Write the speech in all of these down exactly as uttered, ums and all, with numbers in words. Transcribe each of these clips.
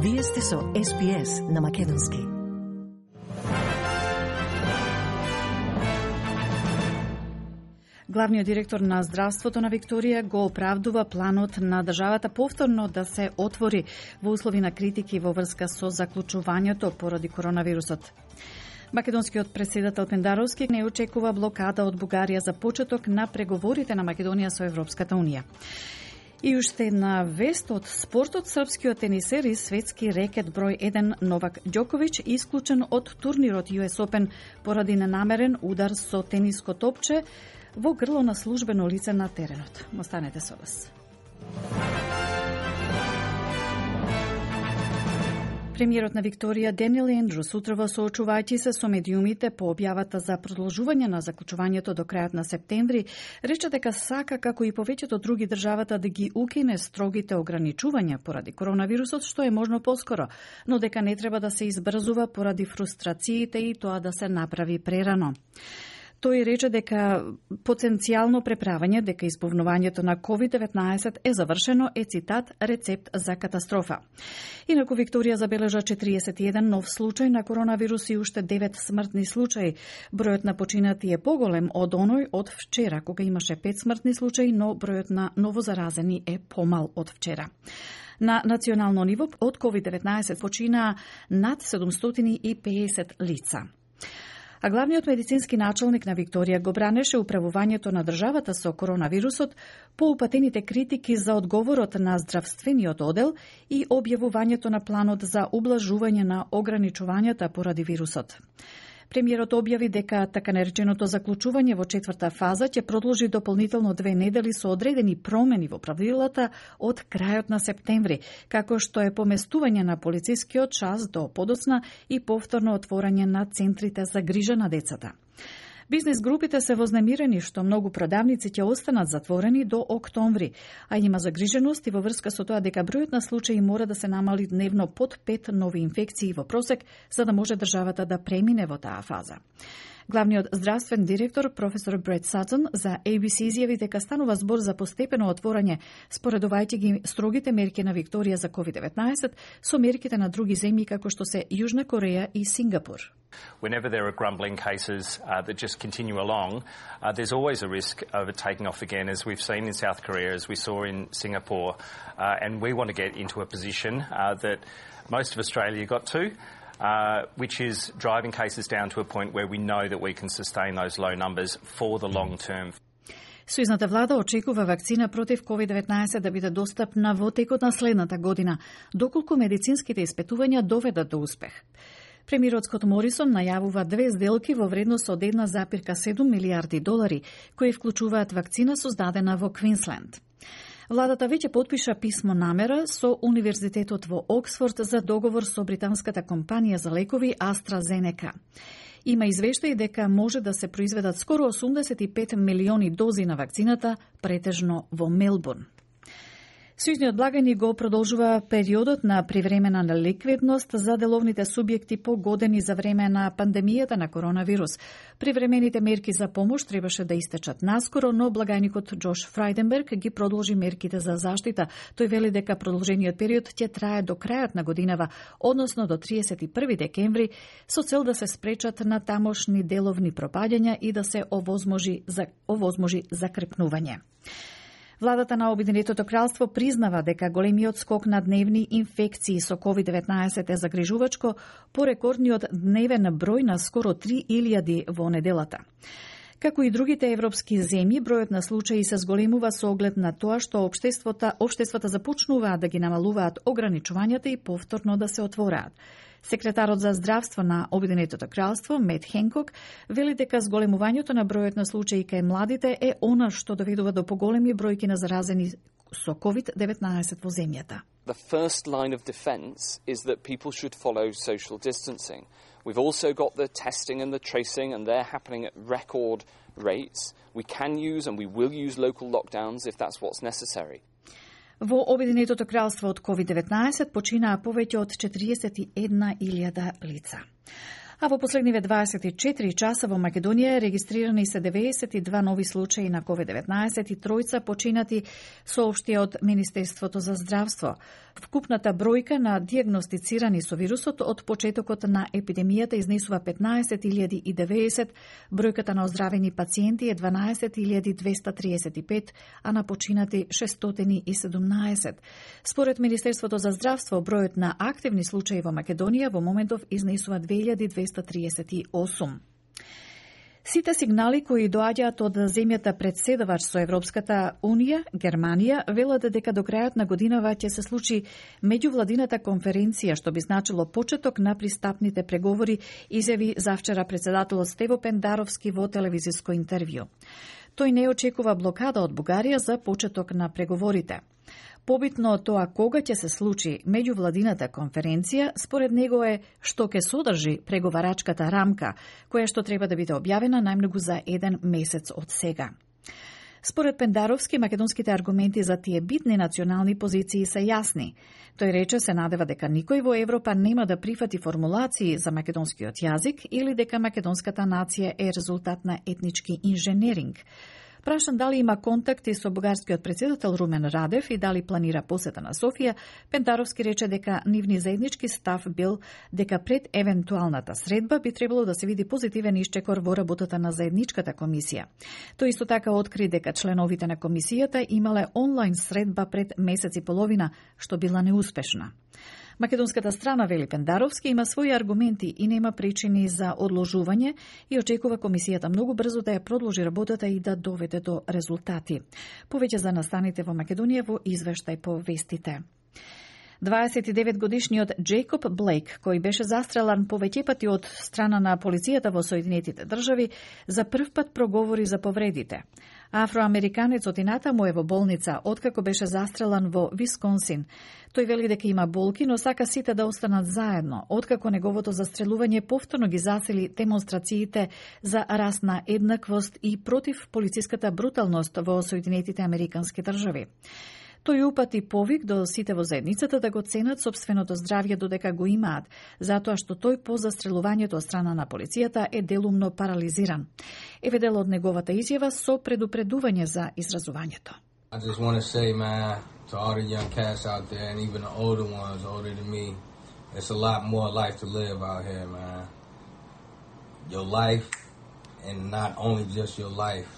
Вие сте со Ес Би Ес на Македонски. Главниот директор на здравството на Викторија го оправдува планот на државата повторно да се отвори во услови на критики во врска со заклучувањето поради коронавирусот. Македонскиот претседател Пендаровски не очекува блокада од Бугарија за почеток на преговорите на Македонија со Европската унија. И уште една вест од спортот, српскиот тенисер и светски рекет број еден Новак Ѓоковиќ исклучен од турнирот Ю Ес Опен поради ненамерен удар со тениско топче во грло на службено лице на теренот. Останете со нас. Премиерот на Викторија Даниел Ендрус утрово соочувајќи се со медиумите по објавата за продолжување на заклучувањето до крајот на септември, рече дека сака како и повеќето други државата да ги укине строгите ограничувања поради коронавирусот што е можно поскоро, но дека не треба да се избрзува поради фрустрациите и тоа да се направи прерано. Тој рече дека потенцијално преправање дека избувнувањето на ковид деветнаесет е завршено е цитат рецепт за катастрофа. Инаку Викторија забележа четириесет и еден нов случај на коронавирус и уште девет смртни случаи. Бројот на починати е поголем од оној од вчера, кога имаше пет смртни случаи, но бројот на новозаразени е помал од вчера. На национално ниво од ковид деветнаесет починаа над седумстотини и педесет лица. А главниот медицински началник на Викторија го бранеше управувањето на државата со коронавирусот по упатените критики за одговорот на здравствениот оддел и објавувањето на планот за ублажување на ограничувањата поради вирусот. Премиерот објави дека така нареченото заклучување во четврта фаза ќе продолжи дополнително две недели со одредени промени во правилата од крајот на септември, како што е поместување на полицискиот час до подоцна и повторно отворање на центрите за грижа на децата. Бизнес групите се вознемирени што многу продавници ќе останат затворени до октомври, а има загриженост и во врска со тоа дека бројот на случаи мора да се намали дневно под пет нови инфекции во просек, за да може државата да премине во таа фаза. Главниот здравствен директор, професор Брет Сатон, за Ей Би Си изјави дека станува збор за постепено отворање, споредувајќи ги строгите мерки на Викторија за ковид деветнаесет со мерките на други земји како што се Јужна Кореја и Сингапур. Whenever there are grumbling cases uh, that just continue along, uh, there's always a risk of it taking off again, as we've seen in South Korea, as we saw in Singapore. Uh, and we want to get into a position uh, that most of Australia got to, uh, which is driving cases down to a point where we know that we can sustain those low numbers for the long term. Сојузната влада очекува вакцина против ковид деветнаесет да биде достапна во текот на следната година, доколку медицинските испитувања доведат до успех. Премиерот Скот Морисон најавува две сделки во вредност од една запирка седум милијарди долари, кои вклучуваат вакцина создадена во Квинсленд. Владата веќе потпиша писмо намера со Универзитетот во Оксфорд за договор со британската компанија за лекови AstraZeneca. Има извештаи дека може да се произведат скоро осумдесет и пет милиони дози на вакцината, претежно во Мелбурн. Сојузниот благајник го продолжува периодот на привремена неликвидност за деловните субјекти погодени за време на пандемијата на коронавирус. Привремените мерки за помош требаше да истечат наскоро, но благајникот Джош Фрајденберг ги продолжи мерките за заштита. Тој вели дека продолжениот период ќе трае до крајот на годинава, односно до триесет и први декември, со цел да се спречат на тамошни деловни пропаѓања и да се овозможи, за, овозможи закрепнување. Владата на Обединетото кралство признава дека големиот скок на дневни инфекции со ковид деветнаесет е загрижувачко по рекордниот дневен број на скоро три илјади во неделата. Како и другите европски земји, бројот на случаи се зголемува со оглед на тоа што општествата, општествата започнуваат да ги намалуваат ограничувањата и повторно да се отвораат. Секретарот за здравство на Обединетото кралство, Мет Хенкок, вели дека зголемувањето на бројот на случаи кај младите е она што доведува до поголеми бројки на заразени со ковид деветнаесет во земјата. The first line of defense is that people should follow social distancing. We've also got the testing and the tracing, and they're happening at record rates. We can use and we will use local lockdowns if that's what's necessary. Во Обединетото кралство од ковид деветнаесет починаа повеќе од четириесет и една илјада лица. А во последниве дваесет и четири часа во Македонија регистрирани се деветдесет и два нови случаи на ковид деветнаесет и тројца починати, соопшти од Министерството за здравство. Вкупната бројка на дијагностицирани со вирусот од почетокот на епидемијата изнесува петнаесет илјади и деветдесет, бројката на оздравени пациенти е дванаесет илјади двеста триесет и пет, а на починати шестстотини и седумнаесет. Според Министерството за здравство, бројот на активни случаи во Македонија во моментов изнесува две илјади двеста триесет и осум. Сите сигнали кои доаѓаат од земјата председавач со Европската Унија, Германија, велат дека до крајот на годинава ќе се случи меѓувладината конференција, што би значило почеток на пристапните преговори, изјави завчера председателот Стево Пендаровски во телевизиско интервју. Тој не очекува блокада од Бугарија за почеток на преговорите. Побитно од тоа кога ќе се случи меѓувладината конференција, според него е што ќе содржи преговарачката рамка, која што треба да биде објавена најмногу за еден месец од сега. Според Пендаровски, македонските аргументи за тие битни национални позиции се јасни. Тој рече се надева дека никој во Европа нема да прифати формулации за македонскиот јазик или дека македонската нација е резултат на етнички инженеринг. Прашан дали има контакти со бугарскиот председател Румен Радев и дали планира посета на Софија, Пендаровски рече дека нивни заеднички став бил дека пред евентуалната средба би требало да се види позитивен исчекор во работата на заедничката комисија. Тој исто така откри дека членовите на комисијата имале онлайн средба пред месец и половина, што била неуспешна. Македонската страна, вели Пендаровски, има своји аргументи и нема причини за одложување и очекува комисијата многу брзо да ја продолжи работата и да доведе до резултати. Повеќе за настаните во Македонија во извештај по вестите. дваесет и девет годишниот Джейкоб Блейк, кој беше застрелан повеќе пати од страна на полицијата во Соединетите држави, за прв пат проговори за повредите. Афроамериканецот инатаму е во болница, откако беше застрелан во Висконсин. Тој вели дека има болки, но сака сите да останат заедно, откако неговото застрелување повторно ги засили демонстрациите за расна еднаквост и против полициската бруталност во Соединетите Американски држави. Тој упати повик до сите во заедницата да го ценат собственото здравје додека го имаат, затоа што тој по застрелувањето од страна на полицијата е делумно парализиран. Еве дел од неговата изјава со предупредување за изразувањето. I just want to say, man, to all the young cats out there and even the older ones, older than me, it's a lot more life to live out here, man. Your life, and not only just your life,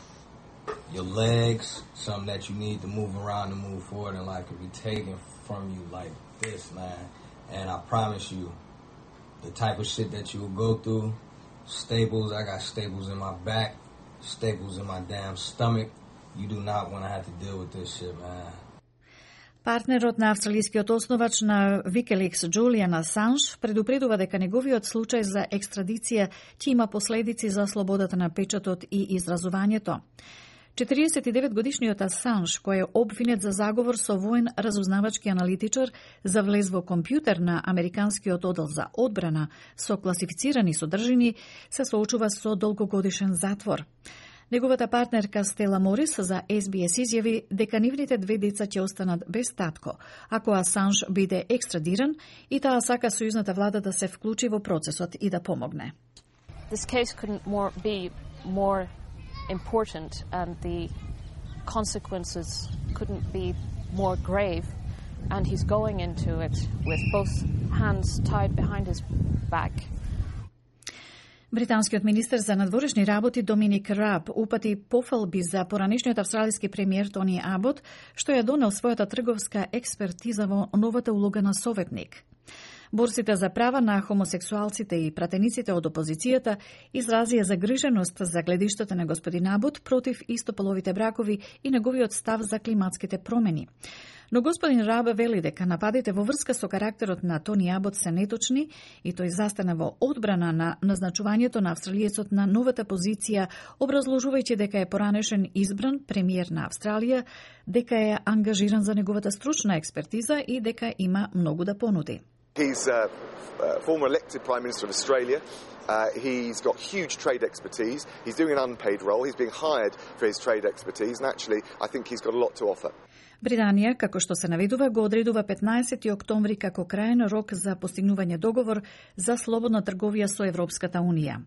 your legs, something that you need to move around and move forward in life could be taken from you like this, man. And I promise you, the type of shit that you will go through, staples, I got staples in my back, staples in my damn stomach. You do not want to have to deal with this shit, man. Партнерот на австралискиот основач на Wikileaks Julian Assange предупредува дека неговиот случај за екстрадиција ќе има последици за слободата на печатот и изразувањето. четириесет и девет годишниот Асанж, кој е обвинет за заговор со воен разузнавачки аналитичар за влез во компјутер на Американскиот одел за одбрана со класифицирани содржини, се соочува со долгогодишен затвор. Неговата партнерка Стела Морис за Ес Би Ес изјави дека нивните две деца ќе останат без татко, ако Асанж биде екстрадиран, и таа сака сојузната влада да се вклучи во процесот и да помогне. This case couldn't more be more important and the consequences couldn't be more grave, and he's going into it with both hands tied behind his back. Британскиот министер за надворешни работи Доминик Раб упати пофалби за поранешниот австралиски премиер Тони Абот, што ја донел својата трговска експертиза во новата улога на советник. Борците за права на хомосексуалците и пратениците од опозицијата изразија загриженост за гледиштата на господин Абот против истополовите бракови и неговиот став за климатските промени. Но господин Рабе вели дека нападите во врска со карактерот на Тони Абот се неточни и тој застана во одбрана на назначувањето на австралиецот на новата позиција, образложувајќи дека е поранешен избран премиер на Австралија, дека е ангажиран за неговата стручна експертиза и дека има многу да понуди. He's a uh, former elected Prime Minister of Australia. Uh, he's got huge trade expertise. He's doing an unpaid role. He's being hired for his trade expertise, and actually, I think he's got a lot to offer. Британија, како што се наведува, го одредува петнаесети октомври како крајен рок за постигнување договор за слободна трговија со Европската Унија.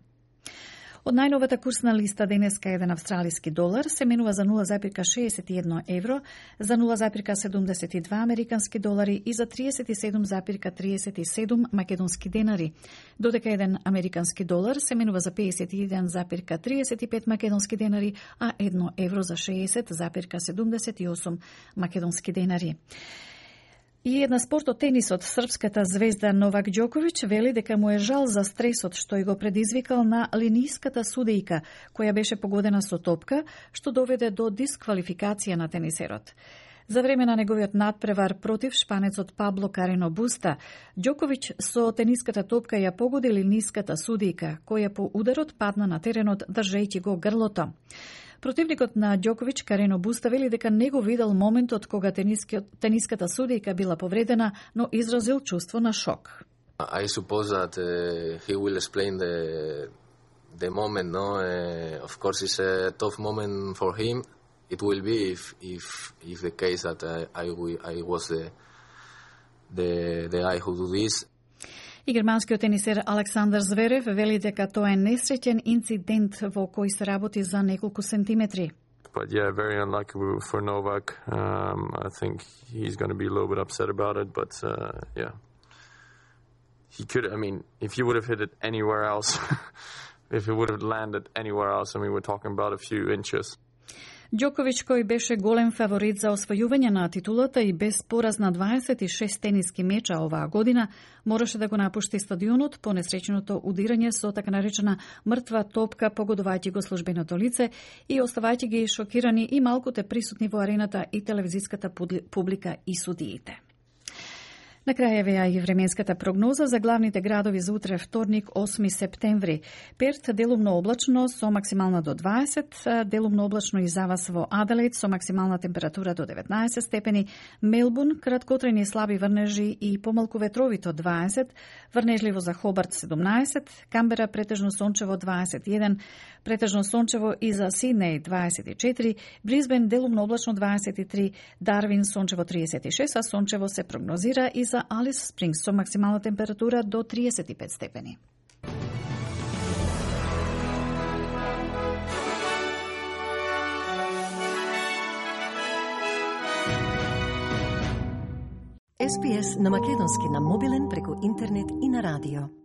Од најновата курсна листа денеска еден австралиски долар се менува за нула зарез шеесет и едно евро, за нула зарез седумдесет и два американски долари и за триесет и седум зарез триесет и седум македонски денари, додека еден американски долар се менува за пеесет и еден зарез триесет и пет македонски денари, а едно евро за шеесет зарез седумдесет и осум македонски денари. И една спорт од тенисот, српската звезда Новак Ѓоковиќ вели дека му е жал за стресот што ја го предизвикал на линиската судејка, која беше погодена со топка, што доведе до дисквалификација на тенисерот. За време на неговиот надпревар против шпанецот Пабло Карено Буста, Ѓоковиќ со тениската топка ја погоди линиската судејка, која по ударот падна на теренот држејќи го грлото. Противникот на Ѓоковиќ, Карено Буста, вели дека не го видел моментот кога тениската судејка била повредена, но изразил чувство на шок. I suppose that uh, he will explain the the moment, no? Uh, of course, it's a tough moment for him. It will be if if if the case that I I, I was the the the guy who do this. И германскиот тенисер Александар Зверев вели дека тоа е несреќен инцидент во кој се работи за неколку сантиметри. But yeah, very unlucky for Novak. Um, I think he's going to be a little bit upset about it, but uh, yeah. He could, I mean, if he would have hit it anywhere else, if it would have landed anywhere else, I mean, we're talking about a few inches. Ѓоковиќ, кој беше голем фаворит за освојување на титулата и без пораз на дваесет и шест тениски меча оваа година, мораше да го напушти стадионот по несреќеното удирање со така наречена мртва топка, погодувајќи го службеното лице и оставајќи ги шокирани и малкуте присутни во арената и телевизиската публика и судиите. На крај евеа и временската прогноза за главните градови за утре вторник, осми септември. Перт делумно облачно со максимална до дваесет, делумно облачно и завас во Аделаид со максимална температура до деветнаесет степени, Мелбурн краткотрајни слаби врнежи и помалку ветровито дваесет, врнежливо за Хобарт седумнаесет, Камбера претежно сончево дваесет и еден, претежно сончево и за Сиднеј дваесет и четири, Брисбен делумно облачно дваесет и три, Дарвин сончево триесет и шест, а сончево се прогнозира и за Алис Спрингс со максимална температура до триесет и пет степени. Ес Би Ес на македонски на мобилен преку интернет и на радио.